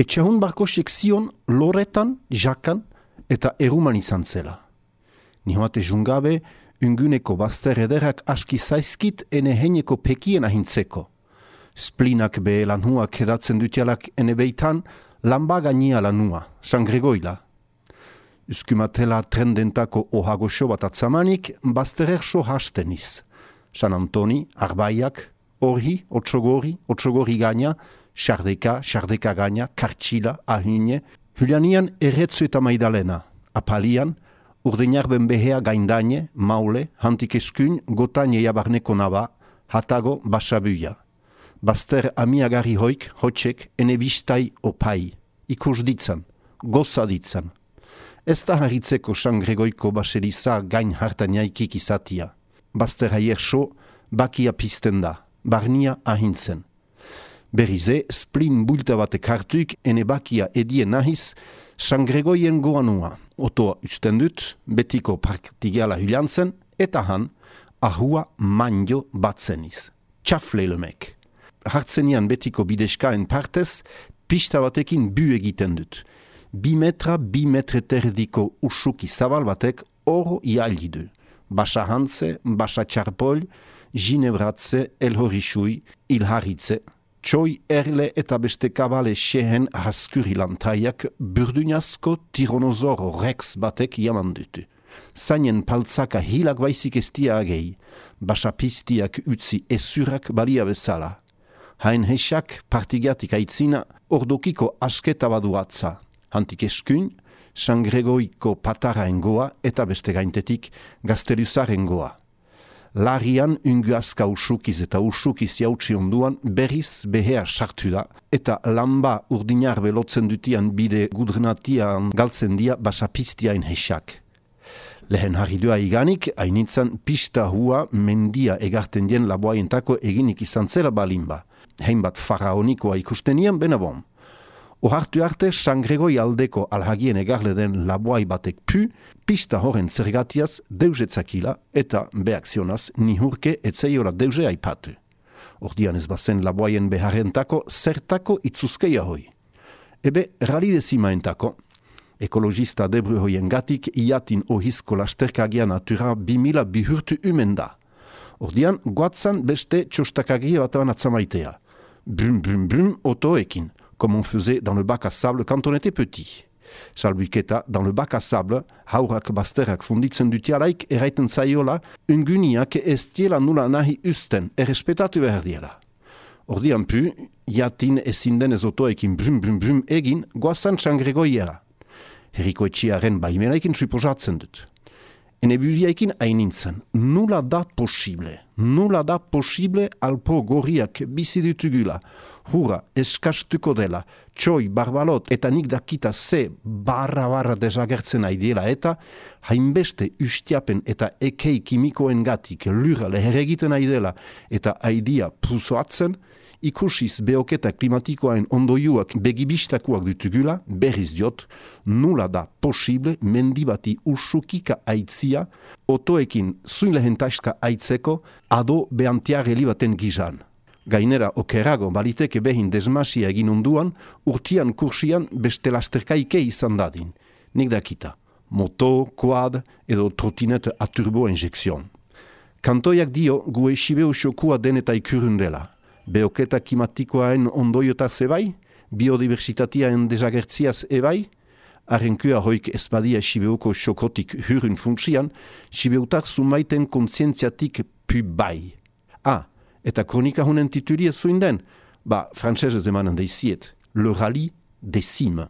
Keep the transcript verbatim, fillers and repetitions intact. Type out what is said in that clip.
Etxahun barkosek zion loretan, jakan eta eruman izan zela. Nihoate jungabe, unguneko bazter ederak aski zaizkit ene heineko pekien ahintzeko. Splinak be lanhuak edatzen dutialak ene beitan, lamba gainia lanua, San Gregoila. Uskumatela trendentako ohagoxo bat atzamanik, bazterer so hasteniz. San Antoni, Arbaiak, Orhi, Otsogori, Otsogori gaina, Xardeka, Xardeka gaina, Kartxila, Ahine, Julianian erretzu eta maidalena, Apalian, Urdeñarben behea gaindaine, Maule, Hantik eskun, Gotaine jabarneko naba, Hatago, Basabuia. Bazter amiagari hoik, hotxek, ene bistai opai, ikus ditzan, goza ditzan. Ez da harritzeko San Gregoiko baseliza gain hartan jaikik izatia. Bazter haier so, bakia pizten da, barnia ahintzen. Berrize, splin bulta batek hartuik, ene bakia edie nahiz, San Gregoien goanua. Otoa usten dut, betiko praktigiala hyliantzen, eta han, ahua manjo batzeniz. Txafleilemek. Hartzenian betiko bideskaen partez, pista batekin bu egiten dut. Bi metra, bi metre terdiko usuki zabal batek oro ialgidu. Basa hantze, basa txarpol, ginebratze, elhorisui, ilharitze. Txoi erle eta beste kabale xehen haskuri-lantaiak burdunazko tironozoro rex batek jaman dutu. Zainen paltzaka hilak baizik estia agei, basa piztiak utzi esurak balia bezala. Hain hesak partigatik aitzina ordokiko asketa baduatza. Hantik eskun, San Gregoiko pataraengoa eta beste gaintetik gazteluzarengoa. Larian unguazka usukiz eta usukiz jautsi onduan berriz behea sartu da eta lamba urdinar belotzen dutian bide gudrenatian galtzen dia basapiztiain hesak. Lehen harridua iganik, hainitzan pista hua mendia egarten dien laboaientako eginik izan zela balinba. Heinbat faraonikoa ikustenian benabon. Ohartu arte, San Gregoi aldeko alhagien egarle den laboai batek pu, pista horren zergatiaz deusetzakila eta beakzionaz nihurke etzeiola deuse aipatu. Ordian ez bazen laboaien beharrentako zertako itzuzkeia hoi. Ebe, ralidezimaentako, ekologista debru hoien gatik iatin ohizko lasterkagia natura bimila bihurtu umen da. Ordian, guatzan beste txostakagia bataban atzamaitea. Brum, brum, brum, otoekin. Comme on faisait dans le bac à sable quand on était petit. Salbuiketa, dans le bac à sable, haurak bazterrak funditzen dutialaik eraiten zaiola, unguniak ez diela nula nahi usten, errespetatu behar diela. Ordian pu, jatin ezin denez otoekin brum brum brum egin, goazan San Gregoiera. Herriko etxiaren baimenaikin suposatzen dut. Enebudiaikin ainintzen, nula da posible, nula da posible alpo gorriak bizi ditugula, hura eskastuko dela, txoi, barbalot eta nik dakita ze barra-barra desagertzen aidiela eta hainbeste ustiapen eta ekei kimikoen gatik lura leheregiten aidela eta aidia puzoatzen, ikusiz beoketa klimatikoain ondoiuak begibistakuak ditugula, berriz diot, nula da posible mendibati usukika aitzia, otoekin zuin lehentaizka aitzeko, ado beantiareli baten gizan. Gainera okerago baliteke behin desmasia egin unduan, urtian kursian beste lasterkaike izan dadin. Nik dakita, moto, quad edo trotinete a turbo injekzion. Kantoiak dio gu esibeu xokua deneta ikurun dela. Beoketa klimatikoaen ondoiotar zebai, biodiversitatiaen desagertziaz ebai, arrenkua hoik ezbadia Sibeuko xokotik hurun funksian, Sibeutar zumaiten kontzientziatik pu bai. Ah, eta kronika honen titulia zuin den, ba, frantsesez emanen deiziet, le rallye des cimes.